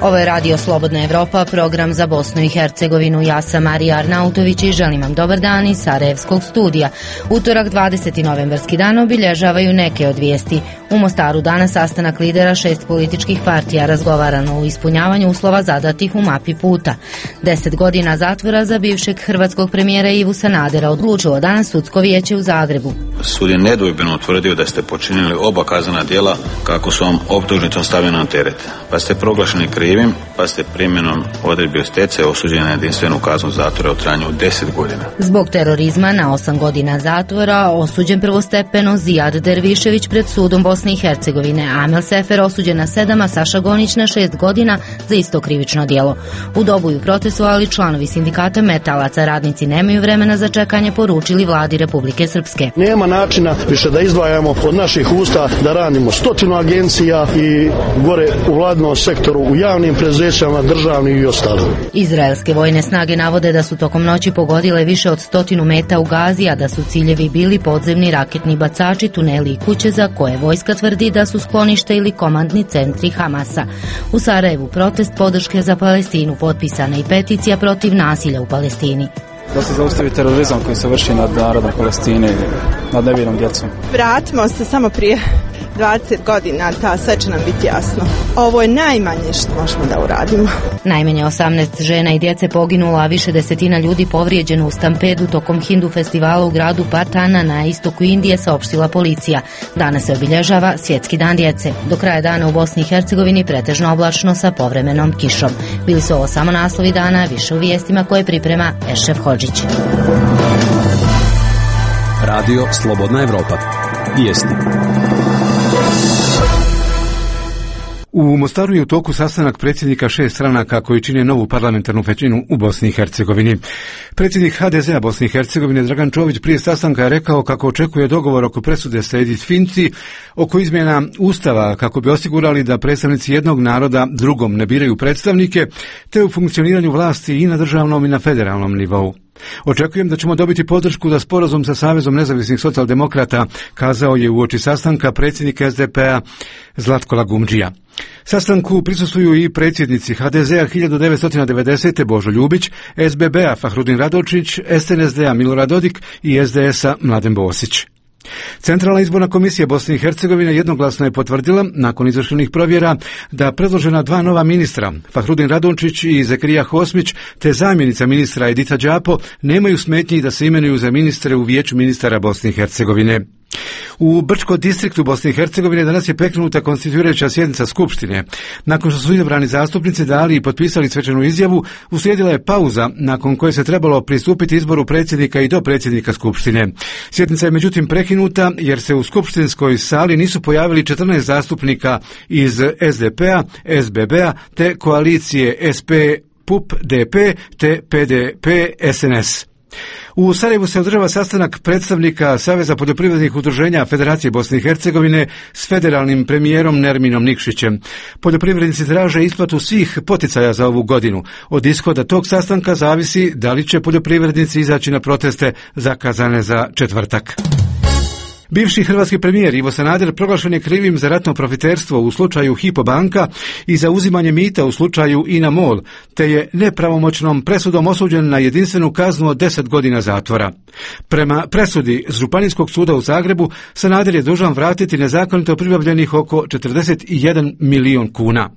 Ovo je Radio Slobodna Evropa, program za Bosnu i Hercegovinu. Ja sam Marija Arnautović i želim vam dobar dan iz Sarajevskog studija. Utorak 20. novembarski dan obilježavaju neke od vijesti. U Mostaru danas sastanak lidera 6 političkih partija, razgovarano o ispunjavanju uslova zadatih u mapi puta. 10 godina zatvora za bivšeg hrvatskog premijera Ivu Sanadera odlučilo danas sudsko vijeće u Zagrebu. Sud je nedvojbeno utvrdio da ste počinili oba kaznena djela kako su vam optužnicom stavljena na teret, pa ste proglašeni krivim, pa ste primjenom odredbi o stečaju osuđeni na jedinstvenu kaznu zatvora u trajanju od 10 godina. Zbog terorizma na 8 godina zatvora osuđen prvostepeno Zijad Dervišević pred sudom Bosne i Hercegovine, Amel Sefer osuđen na 7, a Saša Gonić na 6 godina za isto krivično djelo. U Doboju protestovali članovi sindikata metalaca, radnici nemaju vremena za čekanje, poručili vladi Republike Srpske. Nema načina više da izdvajamo od naših usta da radimo 100 agencija i gore u vladnom sektoru, u javnim preduzećima, državnim i ostalim. Izraelske vojne snage navode da su tokom noći pogodile više od 100 meta u Gazi, a da su ciljevi bili podzemni raketni bacači, tuneli i kuće za koje vojska tvrdi da su sklonište ili komandni centri Hamasa. U Sarajevu protest podrške za Palestinu, potpisana i peticija protiv nasilja u Palestini. Da se zaustavi terorizam koji se vrši nad narodom Palestine, nad nevinom djecom. Vratimo se samo prije 20 godina, sve će nam biti jasno. Ovo je najmanje što možemo da uradimo. Najmanje 18 žena i djece poginulo, a više desetina ljudi povrijeđeno u stampedu tokom Hindu festivala u gradu Patana na istoku Indije, saopštila policija. Danas se obilježava Svjetski dan djece. Do kraja dana u Bosni i Hercegovini pretežno oblačno sa povremenom kišom. Bili su ovo samo naslovi dana, više u vijestima koje priprema Ešref Hodžić. Radio Slobodna Evropa. Vijesti. U Mostaru je u toku sastanak predsjednika 6 stranaka koji čine novu parlamentarnu većinu u Bosni i Hercegovini. Predsjednik HDZ-a Bosne i Hercegovine Dragan Čović prije sastanka je rekao kako očekuje dogovor oko presude Sejdić Finci oko izmjena Ustava kako bi osigurali da predstavnici jednog naroda drugom ne biraju predstavnike, te u funkcioniranju vlasti i na državnom i na federalnom nivou. Očekujem da ćemo dobiti podršku za sporazum sa Savezom nezavisnih socijaldemokrata, kazao je uoči sastanka predsjednik SDP-a Zlatko Lagumdžija. Sastanku prisustvuju i predsjednici HDZ-a 1990. Božo Ljubić, SBB-a Fahrudin Radočić, SNSD-a Milorad Dodik i SDS-a Mladen Bosić. Centralna izborna komisija Bosne i Hercegovine jednoglasno je potvrdila, nakon izvršenih provjera, da predložena 2 nova ministra, Fahrudin Radončić i Zekrija Hosmić, te zamjenica ministra Edita Đapo, nemaju smetnji da se imenuju za ministre u Vijeću ministara Bosne i Hercegovine. U Brčko distriktu Bosne i Hercegovine danas je prekinuta konstituirajuća sjednica Skupštine. Nakon što su izabrani zastupnici dali i potpisali svečanu izjavu, uslijedila je pauza nakon koje se trebalo pristupiti izboru predsjednika i dopredsjednika Skupštine. Sjednica je međutim prekinuta jer se u skupštinskoj sali nisu pojavili 14 zastupnika iz SDP-a, SBB-a te koalicije SP, PUP, DP te PDP, SNS. U Sarajevu se održava sastanak predstavnika Saveza poljoprivrednih udruženja Federacije Bosne i Hercegovine s federalnim premijerom Nerminom Nikšićem. Poljoprivrednici traže isplatu svih poticaja za ovu godinu. Od ishoda tog sastanka zavisi da li će poljoprivrednici izaći na proteste zakazane za četvrtak. Bivši hrvatski premijer Ivo Sanader proglašen je krivim za ratno profiterstvo u slučaju Hypo banka i za uzimanje mita u slučaju INA MOL, te je nepravomoćnom presudom osuđen na jedinstvenu kaznu od 10 godina zatvora. Prema presudi Županijskog suda u Zagrebu, Sanader je dužan vratiti nezakonito pribavljenih oko 41 milion kuna.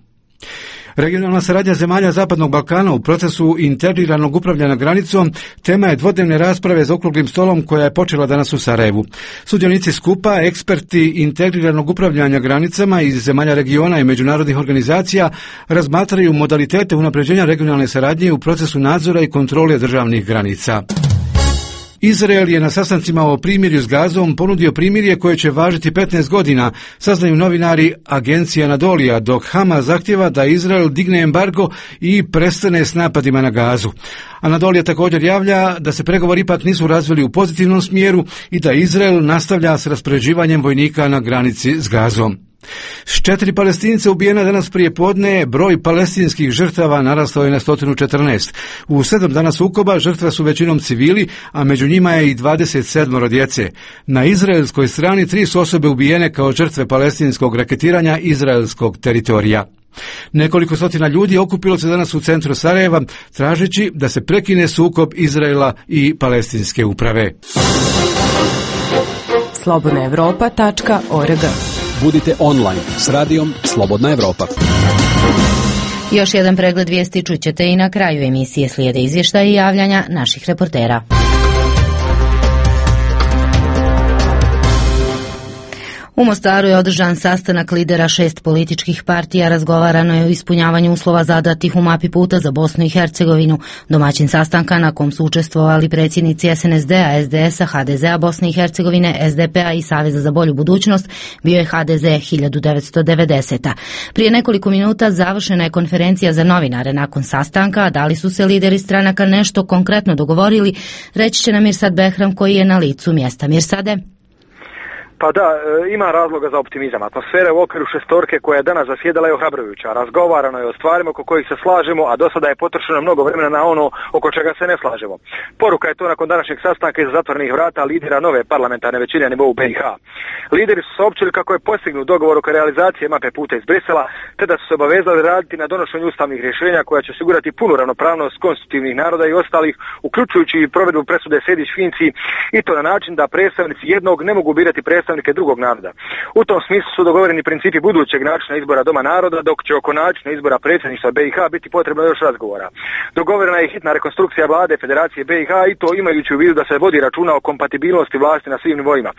Regionalna saradnja zemalja Zapadnog Balkana u procesu integriranog upravljanja granicom tema je dvodnevne rasprave za okruglim stolom koja je počela danas u Sarajevu. Sudionici skupa, eksperti integriranog upravljanja granicama iz zemalja regiona i međunarodnih organizacija razmatraju modalitete unapređenja regionalne saradnje u procesu nadzora i kontrole državnih granica. Izrael je na sastancima o primirju s Gazom ponudio primirje koje će važiti 15 godina, saznaju novinari agencije Anadolija, dok Hamas zahtjeva da Izrael digne embargo i prestane s napadima na Gazu. Anadolija također javlja da se pregovori ipak nisu razvili u pozitivnom smjeru i da Izrael nastavlja s raspoređivanjem vojnika na granici s Gazom. S 4 Palestinca ubijena danas prije podne, broj palestinskih žrtava narastao je na 114. U 7 dana sukoba žrtve su većinom civili, a među njima je i 27 djece. Na izraelskoj strani 3 su osobe ubijene kao žrtve palestinskog raketiranja izraelskog teritorija. Nekoliko stotina ljudi okupilo se danas u centru Sarajeva tražeći da se prekine sukob Izraela i palestinske uprave. slobodnaevropa.org. Budite online s radijom Slobodna Evropa. Još jedan pregled vijesti čućete i na kraju emisije. Slijede izvještaji i javljanja naših reportera. U Mostaru je održan sastanak lidera 6 političkih partija. Razgovarano je o ispunjavanju uslova zadatih u mapi puta za Bosnu i Hercegovinu. Domaćin sastanka na kom su učestvovali predsjednici SNSD-a, SDS-a, HDZ-a Bosne i Hercegovine, SDP-a i Saveza za bolju budućnost bio je HDZ 1990. Prije nekoliko minuta završena je konferencija za novinare nakon sastanka. Da li su se lideri stranaka nešto konkretno dogovorili, reći će nam Mirsad Behram koji je na licu mjesta. Mirsade? Pa da, ima razloga za optimizam. Atmosfera u okviru šestorke koja je danas zasjedala je ohrabrujuća. Razgovarano je o stvarima oko kojih se slažemo, a do sada je potrošeno mnogo vremena na ono oko čega se ne slažemo. Poruka je to nakon današnjeg sastanka iza zatvorenih vrata lidera nove parlamentarne većine na nivou BiH. Lideri su saopćili kako je postignut dogovor oko realizacije mape puta iz Brisela, te da su se obavezali raditi na donošenju ustavnih rješenja koja će osigurati punu ravnopravnost konstitutivnih naroda i ostalih, uključujući i provedbu presude Sejdić-Finci, i to na način da predstavnici jednog ne mogu birati predstavnike drugog naroda. U tom smislu su dogovoreni principi budućeg načina izbora Doma naroda, dok će oko načina izbora predsjedništva BiH biti potrebno još razgovora. Dogovorena je hitna rekonstrukcija vlade Federacije BiH i to imajući u vidu da se vodi računa o kompatibilnosti vlasti na svim nivoima.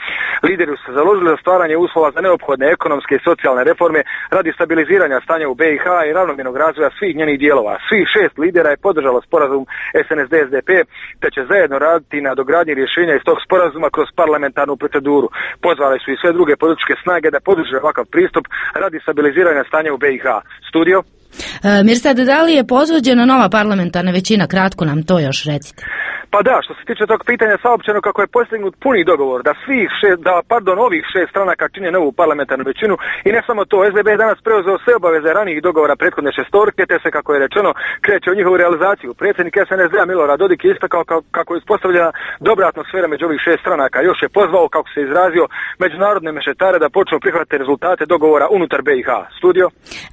Lideri su se založili za stvaranje uslova za neophodne ekonomske i socijalne reforme radi stabiliziranja stanja u BiH i ravnomjernog razvoja svih njenih dijelova. Svih 6 lidera je podržalo sporazum SNSD-SDP, te će zajedno raditi na dogradnji rješenja iz tog sporazuma kroz parlamentarnu proceduru. Pozvali su i sve druge političke snage da podrže ovakav pristup radi stabiliziranja stanja u BiH. Studio? Mirsad, da li je pozvođena nova parlamentarna većina? Kratko nam to još recite. Pa da, što se tiče tog pitanja, saopćeno kako je postignut puni dogovor da ovih 6 stranaka čine novu parlamentarnu većinu i ne samo to, SDP je danas preuzeo sve obaveze ranijih dogovora prethodne šestorke, te se, kako je rečeno, kreće u njihovu realizaciju. Predsjednik SNSD-a Milorad Dodik je istakao kako je uspostavljena dobra atmosfera među ovih 6 stranaka. Još je pozvao, kako se izrazio, međunarodne mešetare da počnu prihvatiti rezultate dogovora unutar BiH. Studio?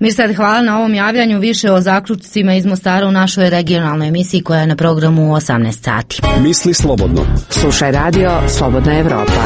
Mirsad, hvala na ovom javljanju. Više o zaključcima iz Mostara u našoj regionalnoj emisiji koja je na programu u 18 sati. Misli slobodno. Slušaj radio Slobodna Evropa.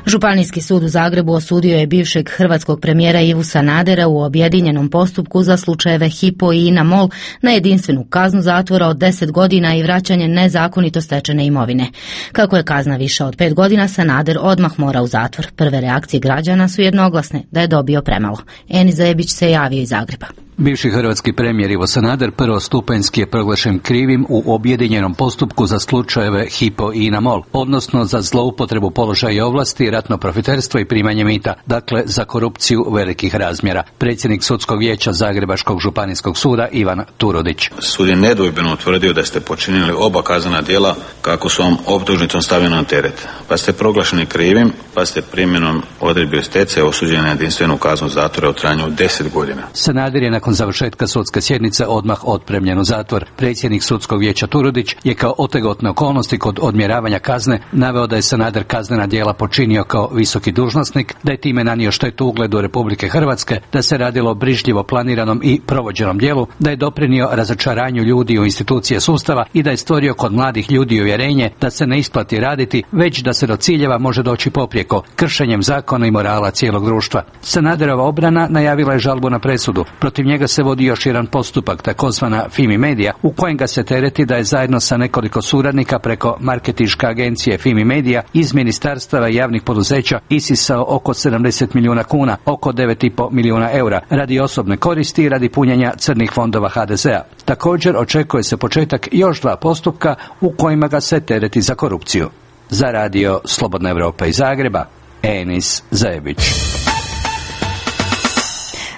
Županijski sud u Zagrebu osudio je bivšeg hrvatskog premijera Ivu Sanadera u objedinjenom postupku za slučajeve Hypo i INA MOL na jedinstvenu kaznu zatvora od 10 godina i vraćanje nezakonito stečene imovine. Kako je kazna viša od 5 godina, Sanader odmah mora u zatvor. Prve reakcije građana su jednoglasne da je dobio premalo. Eni Zajebić se javio iz Zagreba. Bivši hrvatski premijer Ivo Sanader prvostupanjski je proglašen krivim u objedinjenom postupku za slučajeve Hypo i INA MOL, odnosno za zloupotrebu položaja i ovlasti, ratno profiterstvo i primanje mita, dakle za korupciju velikih razmjera. Predsjednik sudskog vijeća Zagrebačkog županijskog suda Ivan Turudić. Sud je nedvojbeno utvrdio da ste počinili oba kaznena djela kako su vam optužnicom stavljena na teret, pa ste proglašeni krivim, pa ste primjenom odredbi o stečaju osuđeni na jedinstvenu kaznu zatvora u trajanju od 10 godina. Sanader je nakon završetka sudske sjednice odmah otpremljen u zatvor. Predsjednik sudskog vijeća Turudić je kao otegotne okolnosti kod odmjeravanja kazne naveo da je Sanader kaznena djela počinio kao visoki dužnosnik, da je time nanio štetu ugledu Republike Hrvatske, da se radilo o brižljivo planiranom i provođenom djelu, da je doprinio razočaranju ljudi u institucije sustava i da je stvorio kod mladih ljudi uvjerenje da se ne isplati raditi, već da se do ciljeva može doći poprijeko, kršenjem zakona i morala cijelog društva. Sanaderova obrana najavila je žalbu na presudu. Protiv njega se vodi još jedan postupak, takozvana Fimi Media, u kojem ga se tereti da je zajedno sa nekoliko suradnika preko marketinške agencije Fimi Media iz ministarstava i javnih poduzeća isisao oko 70 milijuna kuna, oko 9,5 milijuna eura, radi osobne koristi i radi punjenja crnih fondova HDZ-a. Također očekuje se početak još 2 postupka u kojima ga se tereti za korupciju. Za radio Slobodna Evropa iz Zagreba, Enis Zajebić.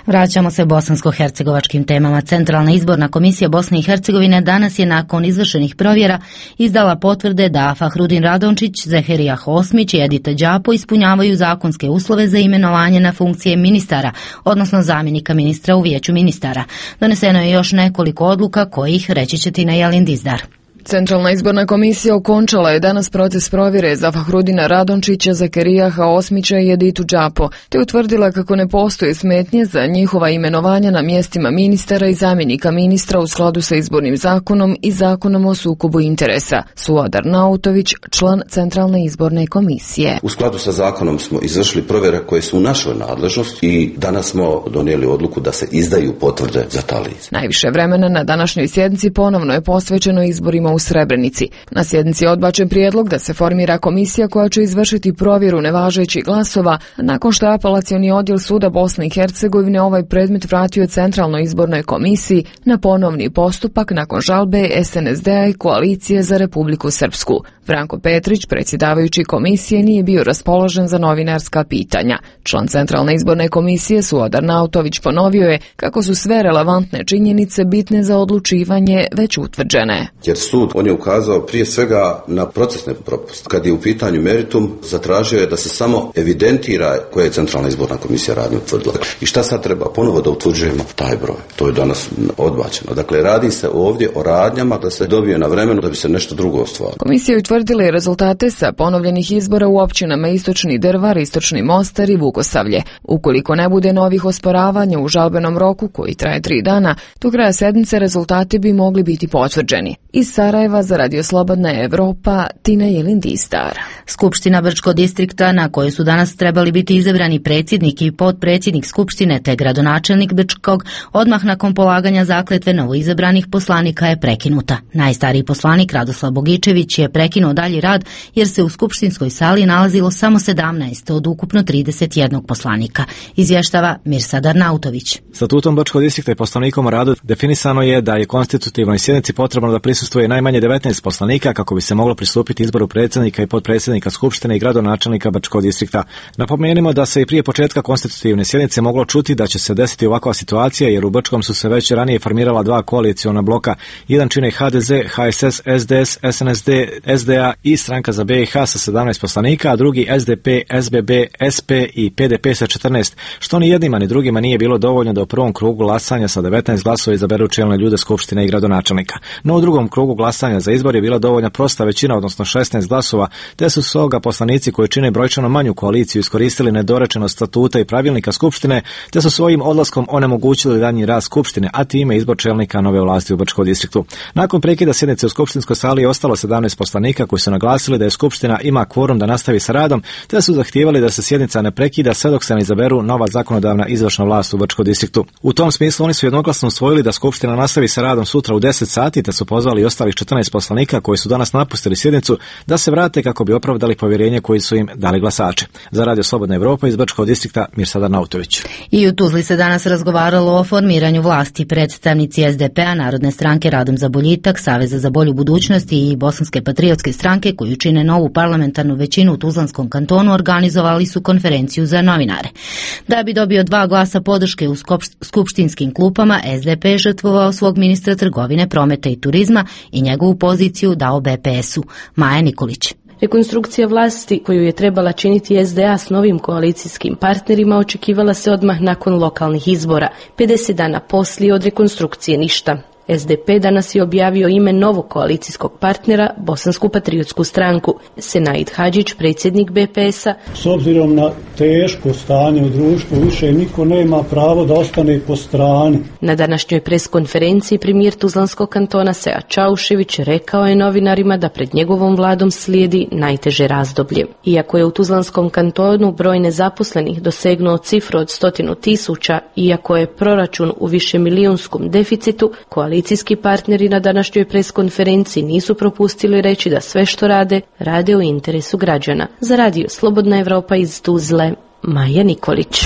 Vraćamo se bosansko-hercegovačkim temama. Centralna izborna komisija Bosne i Hercegovine danas je nakon izvršenih provjera izdala potvrde da Fahrudin Radončić, Zeherija Hosmić i Edita Đapo ispunjavaju zakonske uslove za imenovanje na funkcije ministara, odnosno zamjenika ministra u vijeću ministara. Doneseno je još nekoliko odluka kojih reći će Tina Jalin Dizdar. Centralna izborna komisija okončala je danas proces provjere za Fahrudina Radončića, Zakerijaha Osmića i Editu Džapo, te utvrdila kako ne postoje smetnje za njihova imenovanja na mjestima ministara i zamjenika ministra u skladu sa izbornim zakonom i zakonom o sukobu interesa. Suad Arnautović, član Centralne izborne komisije. U skladu sa zakonom smo izvršili provjere koje su u našoj nadležnosti i danas smo donijeli odluku da se izdaju potvrde za ta lica. Najviše vremena na današnjoj sjednici ponovno je posvećeno izborima u Srebrenici. Na sjednici je odbačen prijedlog da se formira komisija koja će izvršiti provjeru nevažećih glasova, nakon što je apelacioni odjel suda Bosne i Hercegovine ovaj predmet vratio Centralnoj izbornoj komisiji na ponovni postupak nakon žalbe SNSD-a i Koalicije za Republiku Srpsku. Branko Petrić, predsjedavajući komisije, nije bio raspoložen za novinarska pitanja. Član Centralne izborne komisije Suad Arnautović ponovio je kako su sve relevantne činjenice bitne za odlučivanje već utvrđene. Jer sud, on je ukazao prije svega na procesne propuste. Kad je u pitanju meritum, zatražio je da se samo evidentira koje je Centralna izborna komisija radnje utvrdila. I šta sad treba? Ponovo da utvrđujemo taj broj. To je danas odbačeno. Dakle, radi se ovdje o radnjama da se dobije na vremenu da bi se nešto drugo ostvarilo. Komisija je utvrdila rezultate sa ponovljenih izbora u općinama Istočni Drvar, Istočni Mostar i Vukosavlje. Ukoliko ne bude novih osporavanja u žalbenom roku koji traje 3 dana, do kraja sedmice rezultati bi mogli biti potvrđeni. Iz Sarajeva za Radio Slobodna Evropa, Tina Jelindistar. Skupština Brčkog distrikta, na kojoj su danas trebali biti izabrani predsjednik i potpredsjednik Skupštine te gradonačelnik Brčkog, odmah nakon polaganja zakletve novoizabranih poslanika je prekinuta. Najstariji poslanik Radoslav Bogičević je prekinuo dalji rad jer se u skupštinskoj sali nalazilo samo 17 od ukupno 31 poslanika, izvještava Mirsad Arnautović. Statutom Brčkog distrikta i Poslovnikom o radu definisano je da je konstitutivnoj sjednici potrebno da prisustvuje najmanje 19 poslanika kako bi se moglo pristupiti izboru predsjednika i potpredsjednika Skupštine i gradonačelnika Brčkog distrikta. Napomenimo da se i prije početka konstitutivne sjednice moglo čuti da će se desiti ovakva situacija jer u Brčkom su se već ranije formirala 2 koaliciona bloka. Jedan čine HDZ, HSS, SDS, SNSD, SDA i Stranka za BiH sa 17 poslanika, a drugi SDP, SBB, SP i PDP sa 14, što ni jednima ni drugima nije bilo dovoljno da u prvom krugu glasanja sa 19 glasova izaberu čelne ljude Skupštine i gradonačelnika. No u drugom krugu glasanja za izbor je bila dovoljna prosta većina, odnosno 16 glasova, te su stoga poslanici koji čine brojčano manju koaliciju iskoristili nedorečenost statuta i pravilnika Skupštine, te su svojim odlaskom onemogućili daljnji rad Skupštine, a time izbor čelnika nove vlasti u Brčkom distriktu. Nakon prekida sjednice u skupštinskoj sali je ostalo 17 poslanika koji su naglasili da je Skupština ima kvorum da nastavi sa radom, te su zahtijevali da se sjednica ne prekida sve dok se ne izaberu nova zakonodavna izvršna vlast u Brčkom distriktu. U tom smislu oni su jednoglasno usvojili da Skupština nastavi sa radom sutra u 10 sati, te su pozvali ostalih 14 poslanika koji su danas napustili sjednicu da se vrate kako bi opravdali povjerenje koji su im dali glasači. Za Radio Slobodna Evropa iz Brčkog distrikta Mirsad Arnautović. I u Tuzli se danas razgovaralo o formiranju vlasti. Predstavnici SDP-a, Narodne stranke Radom za boljitak, Saveza za bolju budućnost i Bosanske patriotske stranke koju čine novu parlamentarnu većinu u Tuzlanskom kantonu organizovali su konferenciju za novinare. Da bi dobio 2 glasa podrške u skupštinskim klupama, SDP je žrtvovao svog ministra trgovine, prometa i turizma i njegovu poziciju dao BPS-u. Maja Nikolić. Rekonstrukcija vlasti koju je trebala činiti SDA s novim koalicijskim partnerima očekivala se odmah nakon lokalnih izbora. 50 dana poslije od rekonstrukcije ništa. SDP danas je objavio ime novog koalicijskog partnera, Bosansku patriotsku stranku. Senaid Hadžić, predsjednik BPS-a. S obzirom na teško stanje u društvu, više niko nema pravo da ostane po strani. Na današnjoj preskonferenciji premijer Tuzlanskog kantona Sead Čaušević rekao je novinarima da pred njegovom vladom slijedi najteže razdoblje. Iako je u Tuzlanskom kantonu broj nezaposlenih dosegnuo cifru od 100.000, iako je proračun u višemilijunskom deficitu, koalicijski partneri na današnjoj preskonferenciji nisu propustili reći da sve što rade u interesu građana. Za Radio Slobodna Evropa iz Tuzle, Maja Nikolić.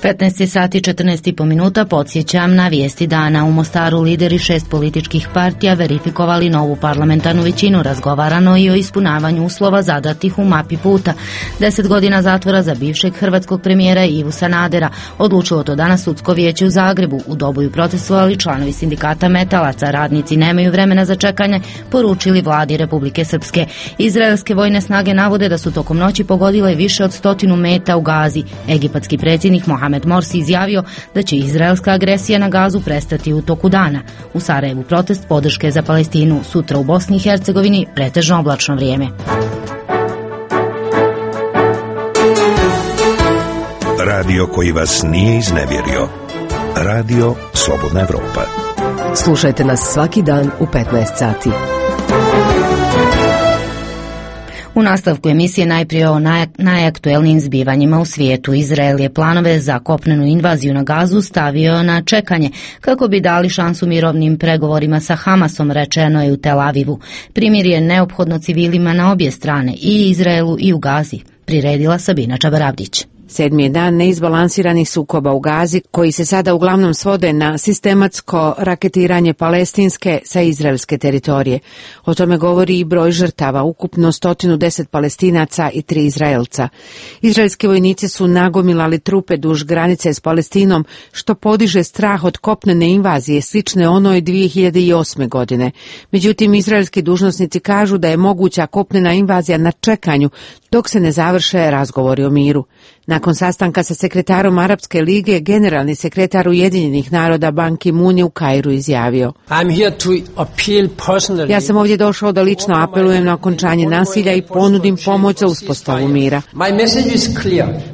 15 sati 14,5 minuta, podsjećam na vijesti dana. U Mostaru lideri 6 političkih partija verifikovali novu parlamentarnu većinu. Razgovarano i o ispunjavanju uslova zadatih u mapi puta. 10 godina zatvora za bivšeg hrvatskog premijera Ivu Sanadera. Odlučilo to danas sudsko vijeće u Zagrebu. U Doboju protestovali članovi sindikata metalaca. Radnici nemaju vremena za čekanje, poručili vladi Republike Srpske. Izraelske vojne snage navode da su tokom noći pogodile više od 100 meta u Gazi. Egipatski predsjednik Mohamed Mohamed Morsi izjavio da će izraelska agresija na Gazu prestati u toku dana. U Sarajevu protest podrške za Palestinu, sutra u Bosni i Hercegovini pretežno oblačno vrijeme. Radio koji vas nije iznevjerio. Radio Slobodna Evropa. Slušajte nas svaki dan u 15 sati. U nastavku emisije najprije o najaktuelnijim zbivanjima u svijetu. Izrael je planove za kopnenu invaziju na Gazu stavio na čekanje kako bi dali šansu mirovnim pregovorima sa Hamasom, rečeno je u Tel Avivu. Primirje je neophodno civilima na obje strane, i Izraelu i u Gazi, priredila Sabina Čabarabdić. 7. je dan neizbalansiranih sukoba u Gazi, koji se sada uglavnom svode na sistematsko raketiranje palestinske sa izraelske teritorije. O tome govori i broj žrtava, ukupno 110 Palestinaca i 3 Izraelca. Izraelski vojnici su nagomilali trupe duž granice s Palestinom, što podiže strah od kopnene invazije, slične onoj 2008. godine. Međutim, izraelski dužnosnici kažu da je moguća kopnena invazija na čekanju, dok se ne završe razgovori o miru. Nakon sastanka sa sekretarom Arapske lige, generalni sekretar Ujedinjenih naroda Ban Ki-moon je u Kairu izjavio: Ja sam ovdje došao da lično apelujem na okončanje nasilja i ponudim pomoć za uspostavu mira.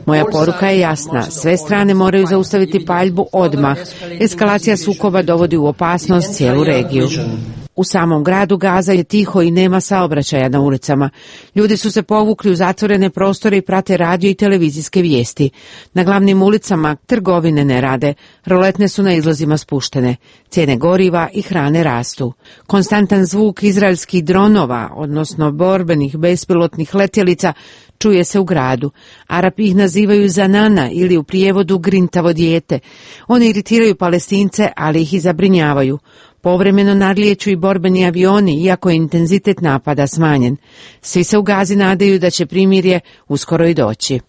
Moja poruka je jasna, sve strane moraju zaustaviti paljbu odmah. Eskalacija sukoba dovodi u opasnost cijelu regiju. U samom gradu Gaza je tiho i nema saobraćaja na ulicama. Ljudi su se povukli u zatvorene prostore i prate radio i televizijske vijesti. Na glavnim ulicama trgovine ne rade, roletne su na izlazima spuštene. Cijene goriva i hrane rastu. Konstantan zvuk izraelskih dronova, odnosno borbenih bespilotnih letjelica, čuje se u gradu. Arapi ih nazivaju zanana ili u prijevodu grintavo dijete. Oni iritiraju Palestince, ali ih i zabrinjavaju. Povremeno nadlijeću i borbeni avioni, iako je intenzitet napada smanjen. Svi se u Gazi nadaju da će primirje uskoro i doći.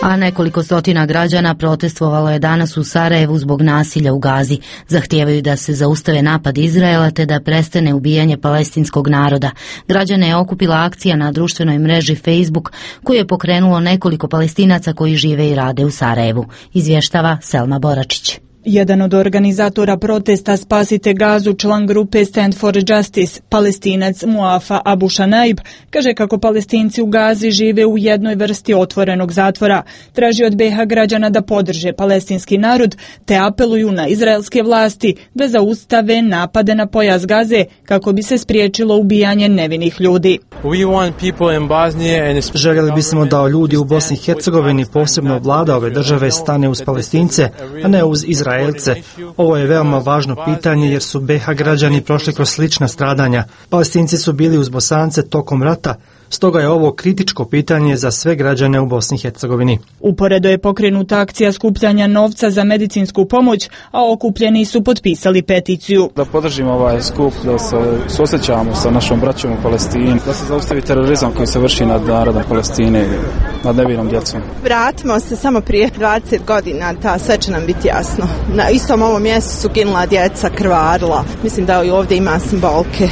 A nekoliko stotina građana protestovalo je danas u Sarajevu zbog nasilja u Gazi. Zahtijevaju da se zaustave napad Izraela te da prestane ubijanje palestinskog naroda. Građane je okupila akcija na društvenoj mreži Facebook, koju je pokrenulo nekoliko Palestinaca koji žive i rade u Sarajevu. Izvještava Selma Boračić. Jedan od organizatora protesta Spasite Gazu, član grupe Stand for Justice, Palestinac Muafa Abu Shanaib, kaže kako Palestinci u Gazi žive u jednoj vrsti otvorenog zatvora. Traži od BiH građana da podrže palestinski narod, te apeluju na izraelske vlasti da zaustave napade na pojas Gaze kako bi se spriječilo ubijanje nevinih ljudi. Željeli bismo da ljudi u Bosni i Hercegovini, posebno vlada ove države, stane uz Palestince, a ne uz Izraelce. Ovo je veoma važno pitanje jer su BiH građani prošli kroz slična stradanja. Palestinci su bili uz Bosance tokom rata, stoga je ovo kritičko pitanje za sve građane u Bosni i Hercegovini. Uporedo je pokrenuta akcija skupljanja novca za medicinsku pomoć, a okupljeni su potpisali peticiju. Da podržimo ovaj skup, da se suosjećamo sa našom braćom u Palestini, da se zaustavi terorizam koji se vrši nad narodom Palestine, nad nevinom djecom. Vratimo se samo prije 20 godina, sve će nam biti jasno. Na istom ovom mjestu su ginula djeca, krvarila. Mislim da i ovdje ima simbolke.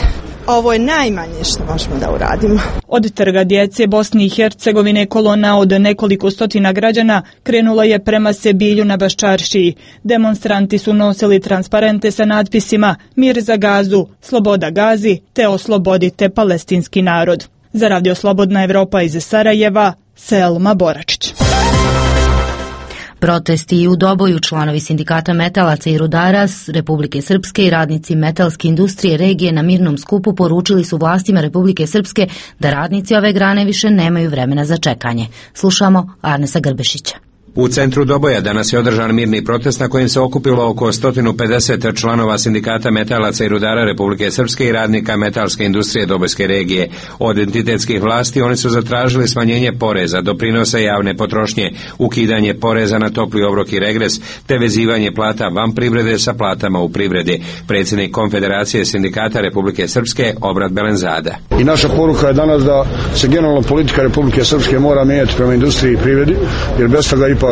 Ovo je najmanje što možemo da uradimo. Od trga djece Bosni i Hercegovine kolona od nekoliko stotina građana krenula je prema Sebilju na Baščaršiji. Demonstranti su nosili transparente sa natpisima Mir za Gazu, Sloboda Gazi, te oslobodite palestinski narod. Za Radio Slobodna Evropa iz Sarajeva, Selma Boračić. Protesti i u Doboju članovi sindikata metalaca i rudara Republike Srpske i radnici metalske industrije regije na mirnom skupu poručili su vlastima Republike Srpske da radnici ove grane više nemaju vremena za čekanje. Slušamo Arnesa Grbešića. U centru Doboja danas je održan mirni protest na kojem se okupilo oko 150 članova sindikata metalaca i rudara Republike Srpske i radnika metalske industrije Dobojske regije. Od entitetskih vlasti oni su zatražili smanjenje poreza, doprinosa javne potrošnje, ukidanje poreza na topli obrok i regres, te vezivanje plata van privrede sa platama u privredi. Predsjednik Konfederacije sindikata Republike Srpske Obrat Belenzada. I naša poruka je danas da se generalno politika Republike Srpske mora mijenjati prema industriji i privredi, jer bez toga ipak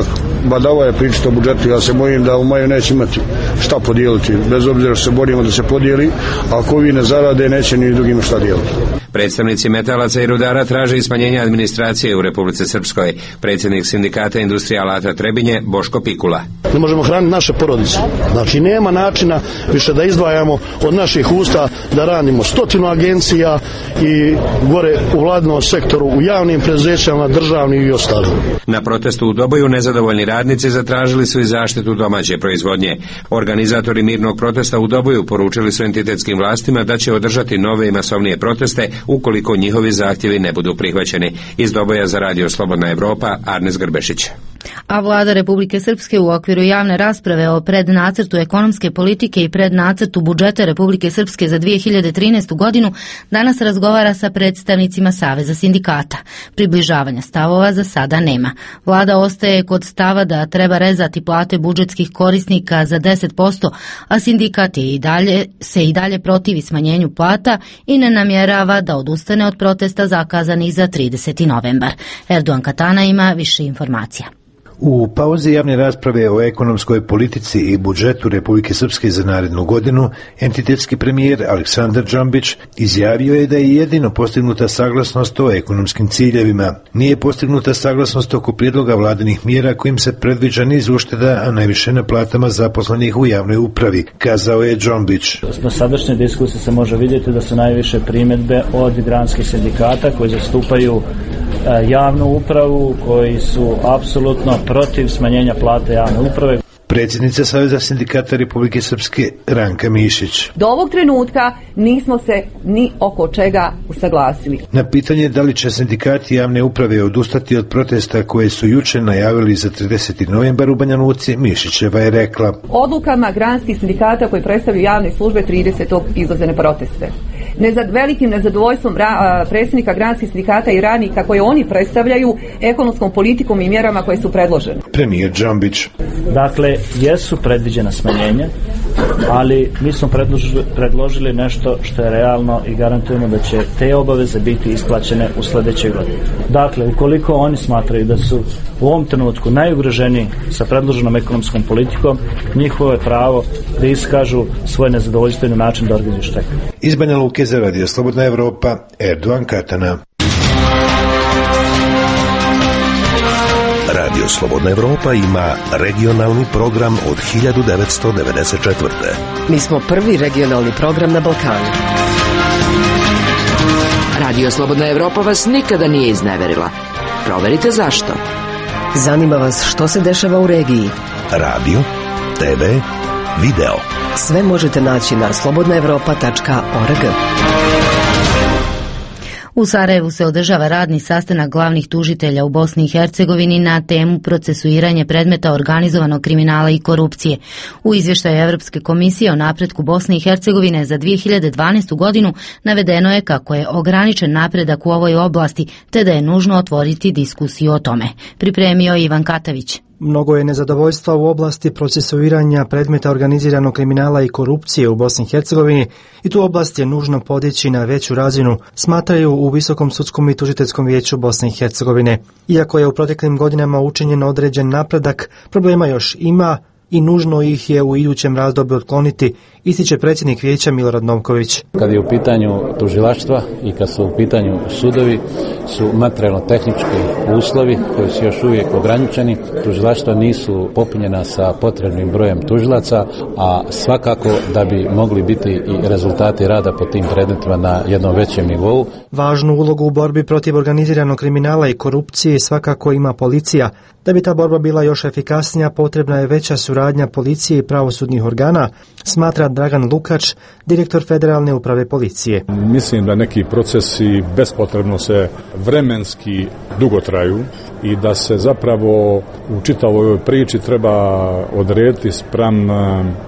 badava je pričati o budžetu, ja se bojim da u maju neće imati šta podijeliti, bez obzira što se borimo da se podijeli, a ako vi ne zarade, neće ni drugima šta dijeliti. Predstavnici metalaca i rudara traže smanjenje administracije u Republici Srpskoj. Predsjednik sindikata Industrija alata Trebinje Boško Pikula. Ne možemo hraniti naše porodice. Znači nema načina više da izdvajamo od naših usta da radimo 100 agencija i gore u vladinom sektoru, u javnim preduzećima, državnim i ostalim. Na protestu u Doboju nezadovoljni radnici zatražili su i zaštitu domaće proizvodnje. Organizatori mirnog protesta u Doboju poručili su entitetskim vlastima da će održati nove i masovnije proteste ukoliko njihovi zahtjevi ne budu prihvaćeni. Iz Doboja za Radio Slobodna Evropa, Arnes Grbešić. A vlada Republike Srpske u okviru javne rasprave o prednacrtu ekonomske politike i prednacrtu budžeta Republike Srpske za 2013. godinu danas razgovara sa predstavnicima Saveza sindikata. Približavanja stavova za sada nema. Vlada ostaje kod stava da treba rezati plate budžetskih korisnika za 10%, a sindikat se i dalje protivi smanjenju plata i ne namjerava da odustane od protesta zakazanih za 30. novembar. Erdogan Katana ima više informacija. U pauzi javne rasprave o ekonomskoj politici i budžetu Republike Srpske za narednu godinu, entitetski premijer Aleksandar Džambić izjavio je da je jedino postignuta saglasnost o ekonomskim ciljevima. Nije postignuta saglasnost oko prijedloga vladinih mjera kojim se predviđa niz ušteda, a najviše na platama zaposlenih u javnoj upravi, kazao je Džambić. Na sadašnjoj diskusiji se može vidjeti da su najviše primjedbe od granskih sindikata koji zastupaju javnu upravu, koji su apsolutno protiv smanjenja plate javne uprave. Predsjednica Saveza sindikata Republike Srpske Ranka Mišić. Do ovog trenutka nismo se ni oko čega usaglasili. Na pitanje da li će sindikati javne uprave odustati od protesta koje su juče najavili za 30. novembar u Banja Luci, Mišićeva je rekla: odlukama granskih sindikata koji predstavljaju javne službe 30. izlaze na proteste. Velikim nezadovoljstvom predsjednika granskih sindikata i radnika koje oni predstavljaju ekonomskom politikom i mjerama koje su predložene. Premijer Džambić. Dakle, jesu predviđena smanjenja, ali mi smo predložili nešto što je realno i garantujemo da će te obaveze biti isplaćene u sljedećoj godini. Dakle, ukoliko oni smatraju da su u ovom trenutku najugroženiji sa predloženom ekonomskom politikom, njihovo je pravo da iskažu svoje nezadovoljstvo na način da organizuju štrajk. Iz Banja Luke za Radio Slobodna Evropa, Erdogan Katana. Radio Slobodna Evropa ima regionalni program od 1994. Mi smo prvi regionalni program na Balkanu. Radio Slobodna Evropa vas nikada nije izneverila. Proverite zašto. Zanima vas što se dešava u regiji. Radio, TV, video. Sve možete naći na slobodnaevropa.org. U Sarajevu se održava radni sastanak glavnih tužitelja u Bosni i Hercegovini na temu procesuiranje predmeta organizovanog kriminala i korupcije. U izvještaju Europske komisije o napretku Bosne i Hercegovine za 2012. godinu navedeno je kako je ograničen napredak u ovoj oblasti, te da je nužno otvoriti diskusiju o tome. Pripremio Ivan Katavić. Mnogo je nezadovoljstva u oblasti procesuiranja predmeta organiziranog kriminala i korupcije u Bosni i Hercegovini i tu oblast je nužno podići na veću razinu, smatraju u Visokom sudskom i tužiteljskom vijeću Bosne i Hercegovine. Iako je u proteklim godinama učinjen određen napredak, problema još ima i nužno ih je u idućem razdoblju otkloniti, ističe predsjednik vijeća Milorad Novković. Kad je u pitanju tužilaštva i kad su u pitanju sudovi, su materijalno-tehnički uslovi koji su još uvijek ograničeni. Tužilaštva nisu popunjena sa potrebnim brojem tužilaca, a svakako da bi mogli biti i rezultati rada po tim predmetima na jednom većem nivou. Važnu ulogu u borbi protiv organiziranog kriminala i korupcije svakako ima policija. Da bi ta borba bila još efikasnija, potrebna je veća suradnja policije i pravosudnih organa, smatra Dragan Lukač, direktor Federalne uprave policije. Mislim da neki procesi bespotrebno se vremenski dugo traju i da se zapravo u čitavoj ovoj priči treba odrediti spram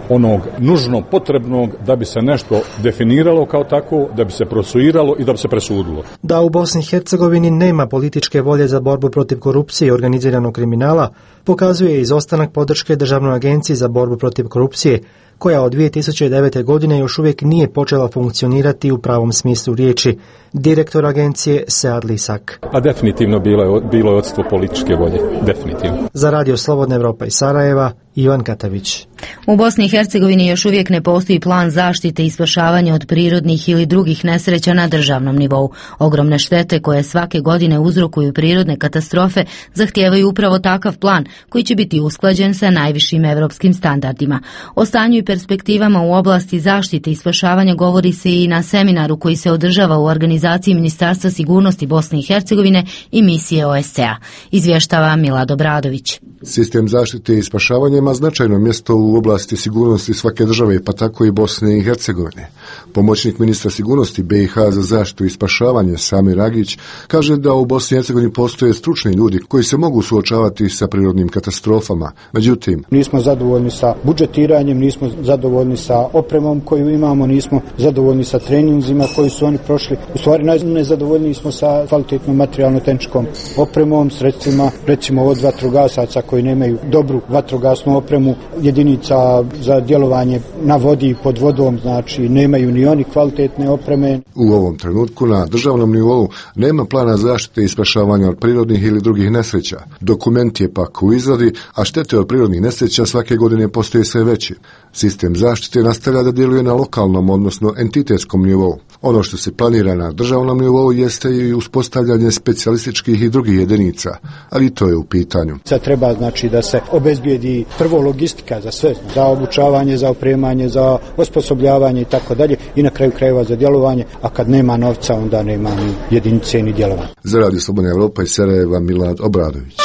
onog nužno potrebnog da bi se nešto definiralo kao tako, da bi se procesuiralo i da bi se presudilo. Da u Bosni i Hercegovini nema političke volje za borbu protiv korupcije i organiziranog kriminala, pokazuje izostanak podrške Državnoj agenciji za borbu protiv korupcije, koja od 2009. godine još uvijek nije počela funkcionirati u pravom smislu riječi. direktor agencije Sead Lisak. A definitivno bilo je odstvo političke volje, definitivno. Za Radio Slobodna Evropa iz Sarajeva, Ivan Katavić. U Bosni i Hercegovini još uvijek ne postoji plan zaštite i spašavanja od prirodnih ili drugih nesreća na državnom nivou. Ogromne štete koje svake godine uzrokuju prirodne katastrofe zahtijevaju upravo takav plan koji će biti usklađen sa najvišim evropskim standardima. O stanju i perspektivama u oblasti zaštite i spašavanja govori se i na seminaru koji se održava u organizaciji Ministarstva sigurnosti Bosne i Hercegovine i misije OSCE-a. Izvještava Milad Obradović. Sistem zaštite i spašavanja ima značajno mjesto u oblasti sigurnosti svake države, pa tako i Bosne i Hercegovine. Pomoćnik ministra sigurnosti BiH za zaštitu i spašavanje Samir Agić kaže da u Bosni i Hercegovini postoje stručni ljudi koji se mogu suočavati sa prirodnim katastrofama. Međutim, nismo zadovoljni sa budžetiranjem, nismo zadovoljni sa opremom koju imamo, nismo zadovoljni sa treninzima koji su oni prošli. U stvari najnezadovoljniji smo sa kvalitetnom materijalno-tehničkom opremom, sredstvima, recimo od vatrogasaca koji nemaju dobru vatrogasnu opremu, jedinica za djelovanje na vodi i pod vodom, znači nemaju ni oni kvalitetne opreme. U ovom trenutku na državnom nivou nema plana zaštite i spašavanja od prirodnih ili drugih nesreća. Dokument je pak u izradi, a štete od prirodnih nesreća svake godine postaje sve veći. Sistem zaštite nastavlja da djeluje na lokalnom, odnosno entitetskom nivou. Ono što se planira na državnom nivou jeste i uspostavljanje specijalističkih i drugih jedinica, ali to je u pitanju. Sad treba znači da se obezbijedi prvo logistika za sve, za obučavanje, za opremanje, za osposobljavanje i tako dalje i na kraju krajeva za djelovanje, a kad nema novca onda nema ni jedinice ni djelovanja. Za Radio Slobodna Evropa iz Sarajeva, Milad Obradović.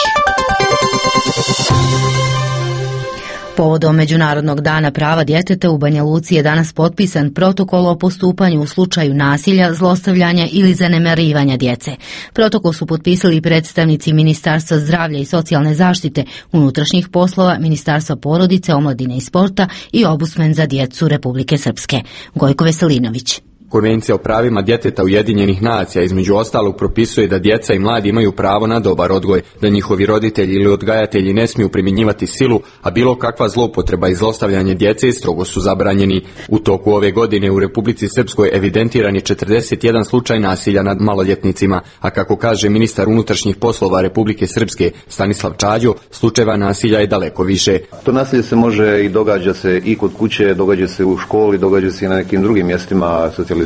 Povodom Međunarodnog dana prava djeteta u Banja Luci je danas potpisan protokol o postupanju u slučaju nasilja, zlostavljanja ili zanemarivanja djece. Protokol su potpisali predstavnici Ministarstva zdravlja i socijalne zaštite, unutrašnjih poslova, Ministarstva porodice, omladine i sporta i Ombudsman za djecu Republike Srpske. Gojko Veselinović. Konvencija o pravima djeteta Ujedinjenih nacija između ostalog propisuje da djeca i mladi imaju pravo na dobar odgoj, da njihovi roditelji ili odgajatelji ne smiju primjenjivati silu, a bilo kakva zloupotreba i zlostavljanje djece strogo su zabranjeni. U toku ove godine u Republici Srpskoj evidentiran je 41 slučaj nasilja nad maloljetnicima, a kako kaže ministar unutrašnjih poslova Republike Srpske Stanislav Čađo, slučajeva nasilja je daleko više. To nasilje se može i događa se i kod kuće, događa se u školi, događa se i na nekim drugim mjestima socijalizacije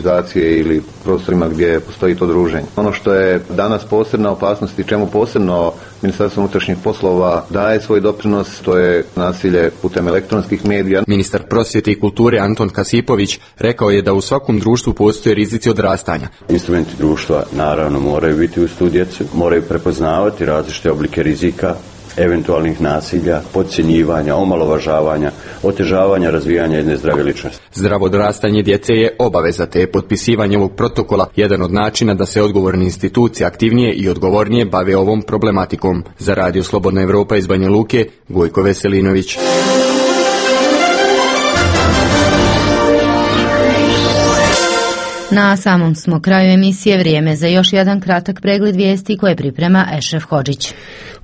ili prostorima gdje postoji to druženje. Ono što je danas posebna opasnost i čemu posebno Ministarstvo unutrašnjih poslova daje svoj doprinos, to je nasilje putem elektronskih medija. Ministar prosvjete i kulture Anton Kasipović rekao je da u svakom društvu postoje rizici odrastanja. Instrumenti društva naravno moraju biti uz tu djecu, moraju prepoznavati različite oblike rizika, eventualnih nasilja, podcjenjivanja, omalovažavanja, otežavanja razvijanja jedne zdrave ličnosti. Zdravo odrastanje djece je obaveza, te je potpisivanje ovog protokola jedan od načina da se odgovorne institucije aktivnije i odgovornije bave ovom problematikom. Za Radio Slobodna Evropa iz Banja Luke, Gojko Veselinović. Na samom smo kraju emisije, vrijeme za još jedan kratak pregled vijesti koje priprema Ešref Hodžić.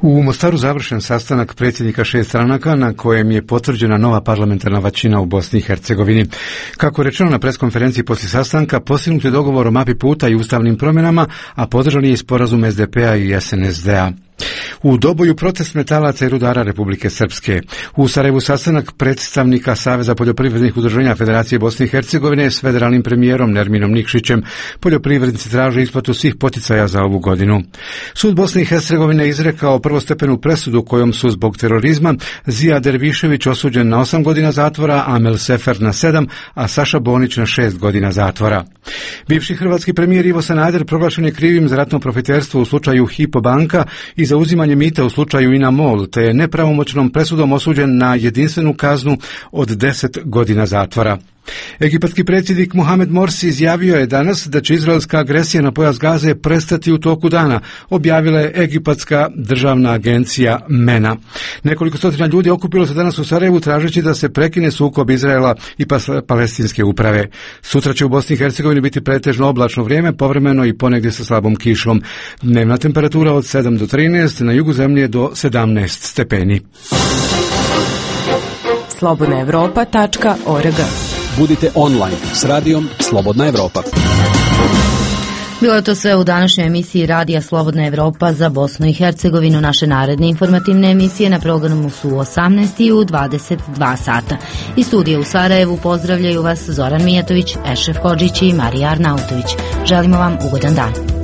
U Mostaru završen sastanak predsjednika 6 stranaka na kojem je potvrđena nova parlamentarna većina u Bosni i Hercegovini. Kako rečeno na preskonferenciji poslije sastanka, postignut je dogovor o mapi puta i ustavnim promjenama, a podržan je i sporazum SDP-a i SNSD-a. U Doboju protest metalaca i rudara Republike Srpske. U Sarajevu sastanak predstavnika Saveza poljoprivrednih udruženja Federacije Bosne i Hercegovine s federalnim premijerom Nerminom Nikšićem. Poljoprivrednici traže isplatu svih poticaja za ovu godinu. Sud Bosne i Hercegovine izrekao prvostepenu presudu kojom su zbog terorizma Zija Dervišević osuđen na 8 godina zatvora, Amel Sefer na 7, a Saša Bonić na 6 godina zatvora. Bivši hrvatski premijer Ivo Sanader proglašen je krivim za ratno profiterstvo u slučaju Hypo banka i za uzimanje mita u slučaju INA MOL, te je nepravomoćnom presudom osuđen na jedinstvenu kaznu od 10 godina zatvora. Egipatski predsjednik Mohamed Morsi izjavio je danas da će izraelska agresija na pojas Gaze prestati u toku dana, objavila je egipatska državna agencija MENA. Nekoliko stotina ljudi okupilo se danas u Sarajevu tražeći da se prekine sukob Izraela i palestinske uprave. Sutra će u Bosni i Hercegovini biti pretežno oblačno vrijeme, povremeno i ponegdje sa slabom kišom. Dnevna temperatura od 7 do 13, na jugu zemlje do 17 stepeni. slobodnaevropa.org. Budite online s radijom Slobodna Evropa. Bilo je to sve u današnjoj emisiji Radija Slobodna Evropa za Bosnu i Hercegovinu. Naše naredne informativne emisije na programu su u 18 i u 22 sata. Iz studija u Sarajevu pozdravljaju vas Zoran Mijatović, Ešref Hodžić i Marija Arnautović. Želimo vam ugodan dan.